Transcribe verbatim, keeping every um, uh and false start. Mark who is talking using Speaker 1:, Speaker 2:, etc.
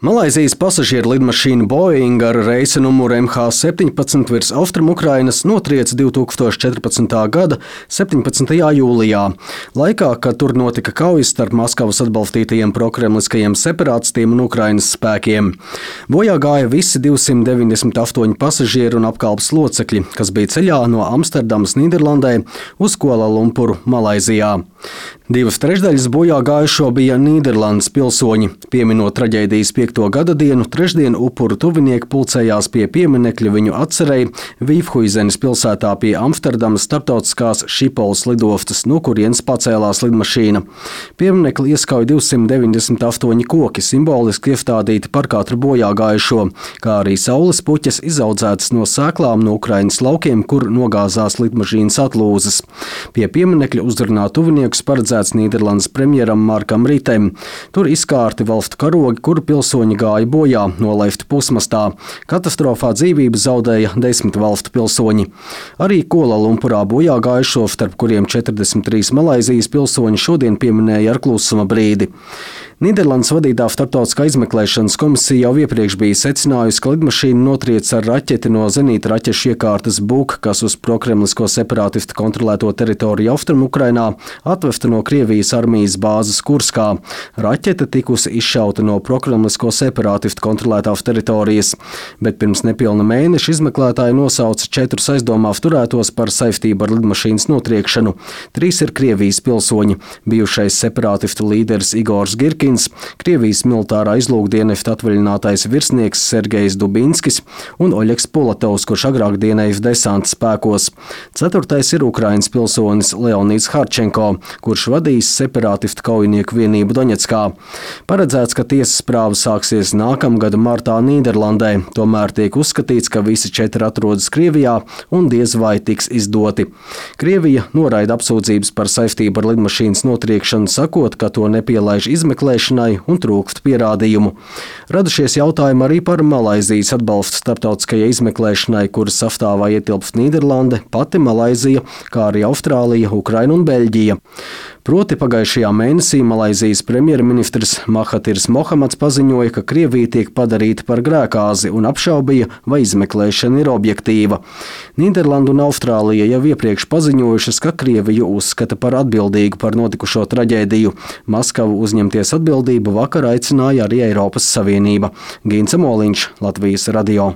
Speaker 1: Malaizijas pasažieru lidmašīna Boeing ar reisa numuru M H septiņpadsmit virs Austrumu-Ukrainas notrieka divi tūkstoši četrpadsmitā gada septiņpadsmitajā jūlijā, laikā, kad tur notika kaujas starp Maskavas atbalstītajiem prokremliskajiem separātistiem un Ukrainas spēkiem. Bojā gāja visi divsimt deviņdesmit astoņi pasažieri un apkalpes locekļi, kas bija ceļā no Amsterdamas, Nīderlandē, uz Kuala Lumpuru, Malaizijā. Divas trešdaļas bojā gājušo bija Nīderlandes pilsoņi. Pieminot traģēdijas piekto gada dienu, trešdien upuru tuvinieki pulcējās pie pieminekļa viņu atcerei Vīfhuizenes pilsētā pie Amsterdamas starptautiskās Šipols lidostas, no kurienes pacēlās lidmašīna. Pieminekli ieskauj divsimt deviņdesmit astoņi koki, simboliski iestādīti par katru bojā gājušo, kā arī saules puķes izaudzētas no sēklām no Ukrainas laukiem, kur nogāzās lidmašīnas atlūzas. Pie pieminekļa uzrunā tuviniekus paredzēts Nīderlandes premjeram Markam Rītem. Tur izkārti valstu karogi, kuru pilsoņi gāja bojā, nolaifti pusmastā. Katastrofā dzīvību zaudēja desmit valstu pilsoņi. Arī Kuala Lumpurā bojā gājušo, starp kuriem četrdesmit trīs Malaizijas pilsoņi, šodien pieminēja ar klusuma brīdi. Nīderlandes vadītā starptautiskā izmeklēšanas komisija jau iepriekš bija secinājusi, ka lidmašīna notrieka ar raķeti no zenīta raķešu iekārtas Buk, kas uz prokremlisko separātistu kontrolēto teritoriju Austrumu-Ukrainā atvesta no Krievijas armijas bāzes Kurskā. Raķete tikusi izšauta no prokremlisko separātistu kontrolētās teritorijas, bet pirms nepilna mēneša izmeklētāji nosauca četrus aizdomās turētos par saistību ar lidmašīnas notriekšanu. Trīs ir Krievijas pilsoņi – bijušais separātistu līderis Igors Girkins, Krievijas militārā izlūkdienesta atvaļinātais virsnieks Sergejs Dubinskis un Oļegs Polatovs, kurš agrāk dienējis desanta spēkos. Ceturtais ir Ukrainas pilsonis Leonīds Harčenko, kurš vadījis separātistu kaujinieku vienību Doņetskā. Paredzēts, ka tiesas prāva sāksies nākamgada martā Nīderlandē, tomēr tiek uzskatīts, ka visi četri atrodas Krievijā un diez vai tiks izdoti. Krievija noraida apsūdzības par saistību ar lidmašīnas notriekšanu, sakot, ka to nepielaiž izmeklēšanai un trūkst pierādījumu. Radušies jautājumi arī par Malaizijas atbalstu starptautiskajai izmeklēšanai, kuras sastāvā ietilpst Nīderlande, pati Malaizija, kā arī Austrālija, Ukraina un Beļģija. Proti pagājušajā mēnesī Malaizijas premjerministrs Mahatirs Mohamads paziņoja, ka Krievija tiek padarīta par grēkāzi un apšaubīja, vai izmeklēšana ir objektīva. Nīderlanda un Austrālija jau iepriekš paziņojušas, ka Krieviju uzskata par atbildīgu par notikušo traģēdiju. Maskavu uzņemties atbildību vakar aicināja arī Eiropas Savienība. Gints Moliņš, Latvijas radio.